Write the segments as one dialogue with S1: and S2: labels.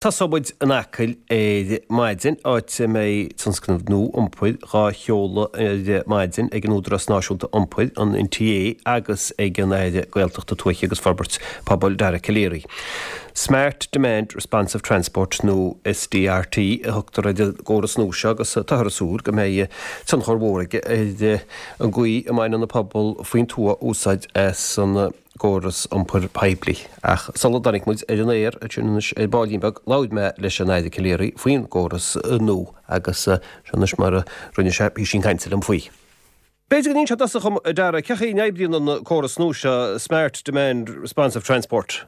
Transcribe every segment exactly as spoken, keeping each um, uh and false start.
S1: Tosóidh muid in Acaill ar maidin, áit a mbeidh tionscnamh nua iompair dhá sheoladh ar maidin ag an Údarás Náisiúnta Iompair, an N T A, agus ag an Aire Gaeltachta, Tuaithe agus Forbairt Pobail, Dara Calleary. Smart Demand Responsive Transport, nó S D R T, a thugtar ar an gcóras nua seo, agus táthar ag súil go mbeidh tionchar mhór aige ar an gcaoi a mbaineann an pobal faoin tuath úsáid as an gcóras iompair poiblí. Ach sula dtáinig muid ar an aer anois ar baillín beag, labhair mé leis an Aire Calleary faoin gcóras nua, agus seo anois mar a rinne sé píosín cainte liom faoi. B'fhéidir go n-inseofá dom, a Dara, cén chaoi a n-oibríonn an córas nua seo, Smart Demand Responsive Transport?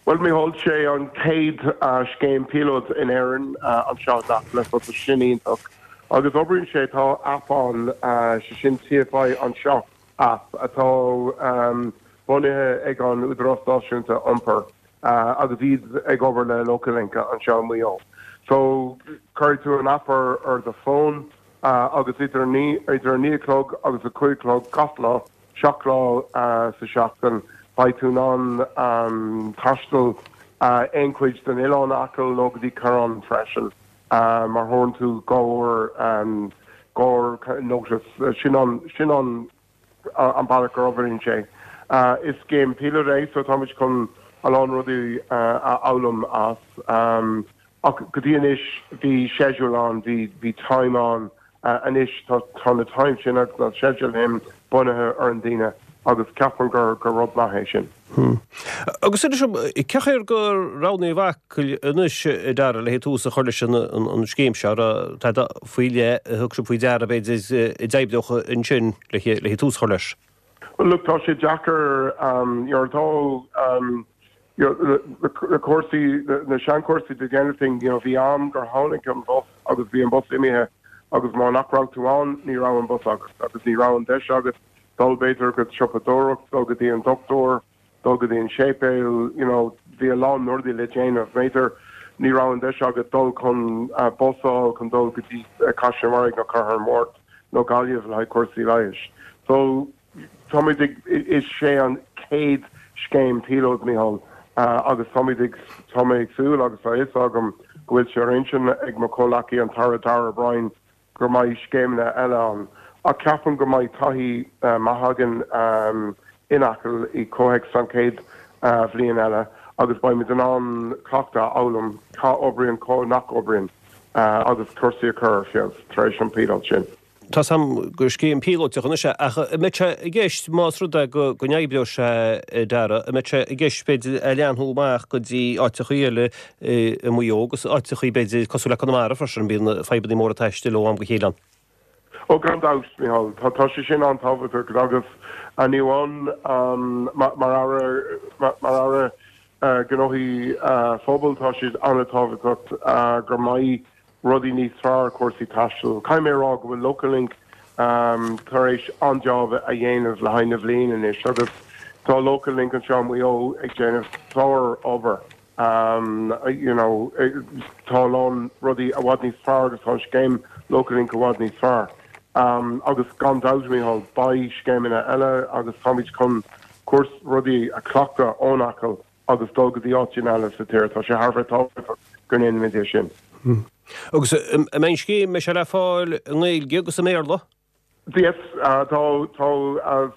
S2: Well, Mícheál, sé an chéad uh, scéim píolóid in Éirinn uh, anseo le so sin iontach. Agus oibríonn sé, tá app ann, uh, sé sin T F I Anseo app atá um, bunaithe ag an Údarás Náisiúnta Iompair uh, agus iad ag obair le Local Link anseo Maigh Eo. So cuirfidh tú an app ar, ar do phone uh, agus idir idir naoi a chlog agus a cúig chlog gach lá, seacht lá uh, sa seachtain, beidh tú in ann um, taisteal uh, aon chuid den oileán Acaill nó go dtí Coireán freisin uh, mar thugann tú gur um, gur notice sin an sin an uh, an bealach gur oibríonn sé. Uh, is scéim píolóid é, so táimid chun a lán rudaí uh, a fhoghlaim as, um, ach go dtí anois bhí schedule ann, bhí bhí time ann. uh, anois tá tá na time sin agus na schedule sin bunaithe ar an duine, agus ceapaim gur gur rud maith é sin.
S1: Hmm. Agus ceir gur roghnaíodh Acaill anois, a Dara, le tús a chur leis an an scéim seo, tá faoi le thug sé faoi deara b'fhéidir a d'oibreodh ansin le le tús a chur leis.
S2: Well, look, tá sé deacair um, tá um, na cúrsaí, na seanchúrsaí de déanamh you know, bhí am gur tháinig an bus agus bhí an bus imithe, agus má nach raibh tú ann, ní raibh an bus agus agus ní raibh an deis agat dul b'fhéidir go siopadóireacht, dul go dtí an dochtúir, dul go dtí an séipéal you know, bhí a lán rudaí le déanamh. B'fhéidir ní raibh an deis agat dul chun uh, busáil chun dul go dtí uh, Caisleán nó Cathair Mhórt nó Gaillimh le cúrsaí leighis. So táimid ag, is sé an chéad scéim píolóid, Mícheál, uh, agus táimid ag tá mé ag súil agus tá fhios agam go bhfuil sé ar intinn ag mo chomhghleacaí, an tAire Darragh O'Brien, gur mbeidh scéimeanna eile ann. A ceapaim go mbeidh taithí uh, maith againn um, in Acaill i gcomhthéacs an chéad uh, bhliain eile, agus beimid in ann cleachtadh a fhoghlaim cá oibríonn, cá nach oibríonn, uh, agus cúrsaí a chur ar feabhas tar éis an píolóid sin.
S1: Tá sam gur scéim píolótach anois é, ach an mbeidh sé i gceist, más rud é go go n-oibreoidh sé, a Dara, an mbeidh sé i gceist b'fhéidir a leathnú amach go dtí áiteachaí eile i Maigh Eo agus áiteachaí b'fhéidir cosúil le Conamara freisin? Bíonn fadhbanna móra taistil ó am go chéile ann.
S2: Ó, gan dabht, Mícheál, tá tá sé sin an-tábhachtach agus ní amháin um, mar mar mar Aire uh, gnóthaí uh, phobail, tá siad an-tábhachtach uh, gur mbeidh rudaí níos fearr cúrsaí taistil. Caithfidh mé rá go bhfuil Local Link um, tar éis an-job a dhéanamh le haghaidh na bhliain anois, agus tá Local Link anseo Maigh Eo ag déanamh sár-obair. Um, you know, tá lán rudaí i bhfad níos fearr agus tá scéim Local Link i bhfad níos fearr. Um, agus gan dabht, Mícheál, beidh scéimeanna eile agus táimid chun cúrsa rudaí a chleachtadh ón Acaill agus dul go dtí áiteanna eile sa tír. Tá sé thar tábhachtach go ndéanaimid é sin.
S1: Hmm. Agus an mbeidh scéim sé le fáil i nGaeilge agus i mBéarla?
S2: Yes, uh, tá tá uh,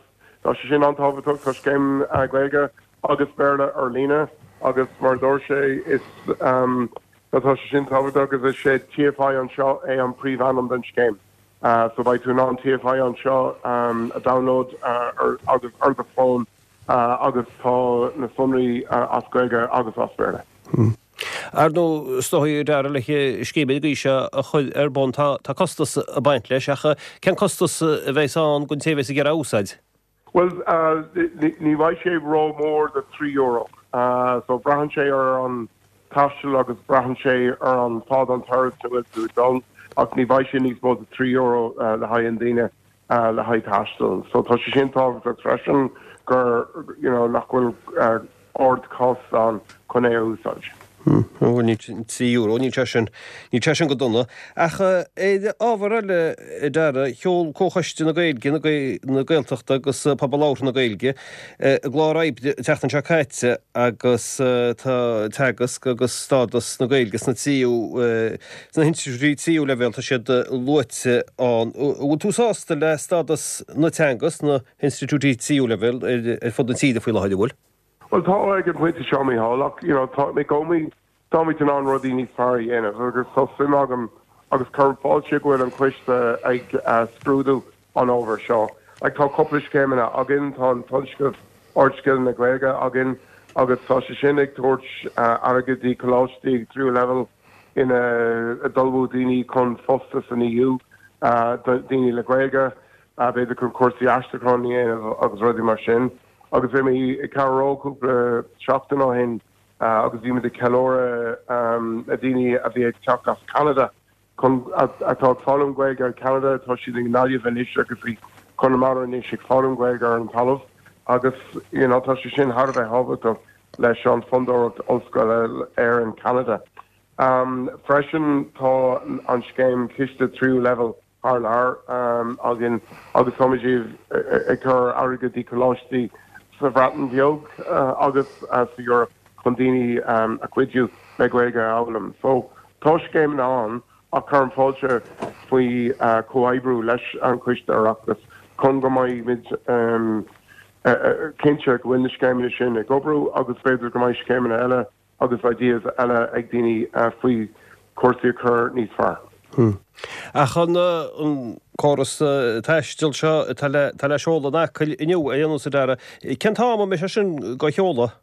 S2: tá sé sin an-tábhachtach. Tá scéim uh, Gaeilge agus Béarla ar líne, agus mar dúirt sé is um, tá sé sin tábhachtach agus is sé T F I Anseo é an príomhainm den scéim. Uh, so beidh tú in ann T F I Anseo um, a download uh, ar, agus ar do phone uh, agus tá na sonraí uh, as Gaeilge agus as Béarla.
S1: Hmm. Ar ndóigh, is dóigh, a Dara, le scéim den sórt seo a chur ar bun, tá tá costas ag baint leis, ach cén costas a bheas ann don té a bheas ag iarraidh úsáid?
S2: Well, uh, ní bheidh sé ró-mhór de trí euro. Uh, so braitheann sé ar an taisteal agus braitheann sé ar an fad an turas a bhfuil tú dul, ach ní bheidh sé níos mó de trí euro uh, le haghaidh an duine uh, le haghaidh taisteal. So tá sé sin tábhachtach freisin gur you know, nach bhfuil uh, ardchostas ann chun é úsáid.
S1: Bhuel, níl trí euro, níl sé sin, níl sé sin go dona. Ach ar ábhar eile, a Dara, sheol Comhchoiste na Gaeilge, na Gaeltachta agus Pobal Labhartha na Gaeilge a gclár oibre an tseachtain seo caite agus tá teagasc agus stádas na Gaeilge sna tríú, sna hinstitiúidí tríú leibhéal, tá siad luaite ann. An bhfuil tú sásta le stádas na teanga sna hinstitiúidí tríú leibhéal ar fud na tíre faoi láthair, an bhfuil?
S2: Bhuel, tá ag an bpointe seo, Mícheál, ach you know, tá mé i gcónaí, táimid in ann rudaí níos fearr a dhéanamh agus tá suim agam agus cuirim fáilte go bhfuil an coiste ag scrúdú an ábhair seo. Like, tá cúpla scéimeanna againn, tá an tionscnamh Ardscileanna Gaeilge againn agus tá sé sin ag tabhairt airgead do choláistí ag tríú leibhéal ina d'ullmhú daoine chun fostas san E U, daoine le Gaeilge, b'fhéidir chun cúrsaí aistriúcháin a dhéanamh agus rudaí mar sin. Agus bhí mé i Carraroe cúpla seachtain ó shin agus bhí muid ag ceiliúradh na daoine a bhí ag teacht as Canada chun atá ag foghlaim Gaeilge ar Canada, tá siad i nGaillimh anois agus i Conamara anois ag foghlaim Gaeilge ar an talamh agus you know, tá sé sin thar a bheith tábhachtach leis an Fondúireacht Ollscoile Éireann Canada. Um, freisin tá an scéim ciste tríú leibhéal thar lear um, againn agus táimid ag cur airgead i coláistí sa Bhreatain Bheag uh, agus uh, sa Europe chun daoine um, a chuidiú le Gaeilge a fhoghlaim. So tá scéimeanna ann ach cuirim fáilte faoi uh, comhoibriú leis an Coiste Oireachtais chun go mbeimid um, uh, uh, cinnte go bhfuil na scéimeanna sin ag obair agus b'fhéidir go mbeidh scéimeanna eile agus ideas eile ag daoine uh, faoi cúrsaí a chur níos fearr.
S1: Hmm. Ach an an córas taistil seo atá le tá le seoladh in Acaill inniu ar aon nós, a Dara. Cén t-am a mbeidh sé sin á sheoladh?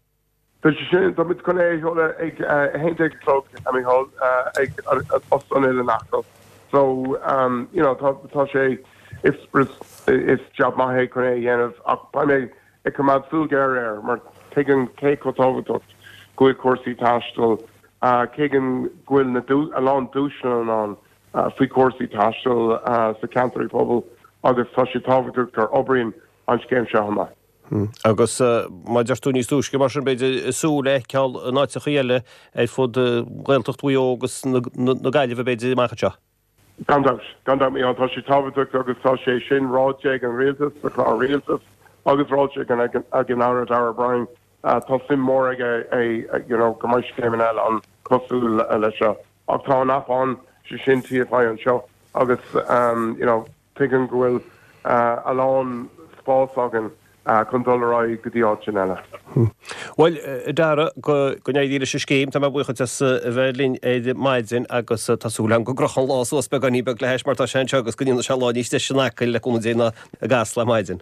S2: Tá sé sin tá muid chun é a sheoladh ag a haon déag a chlog, a Mícheál, ag Óstán Oileán Acaill. So um, you know, tá tá sé is is job maith é chun é a dhéanamh ach beidh mé ag coimeád súil géar air mar tuigim cé chomh tábhachtach go bhfuil cúrsaí taistil, tuigim go bhfuil na a lán dúshláin ann faoi cúrsaí taistil sa ceantar pobail agus tá sé tábhachtach gur oibríonn an scéim seo amach.
S1: Agus mar a deir tú níos túisce mar sin b'fhéidir súil le feiceáil in áiteacha eile ar fud Ghaeltacht Mhaigh Eo agus na Gaillimhe b'fhéidir amach anseo.
S2: Gan dabht, gan dabht, tá sé tábhachtach agus tá sé sin ráite ag an rialtas sa chlár rialtas agus ráite ag an Aire Darragh O'Brien tá suim mór aige é you know, go mbeidh scéimeanna eile ann cosúil leis seo. Ach tá an app ann sé sin T F I anseo agus um, you know, tuigim go bhfuil uh, a lán spás againn uh, chun dul ar aghaidh go dtí áit eile.
S1: Bhuel, Dara, go go n-éirí leis an scéim, tá mé buíoch as a bheith linn ar maidin agus tá súil agam go gcrochann an lá suas beagáinín beag le hais mar tá sé anseo agus go ndéanfaidh sé lá níos deise in Acaill le cúnamh Dé ná i gCasla ar maidin.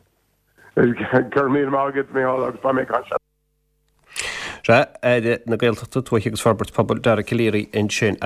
S2: Gur mí mágad mé agus ba mé se.
S1: Sé Aire na Gaeltachta, Tuaithe agus Forbairt Pobail Dara Calleary ansin.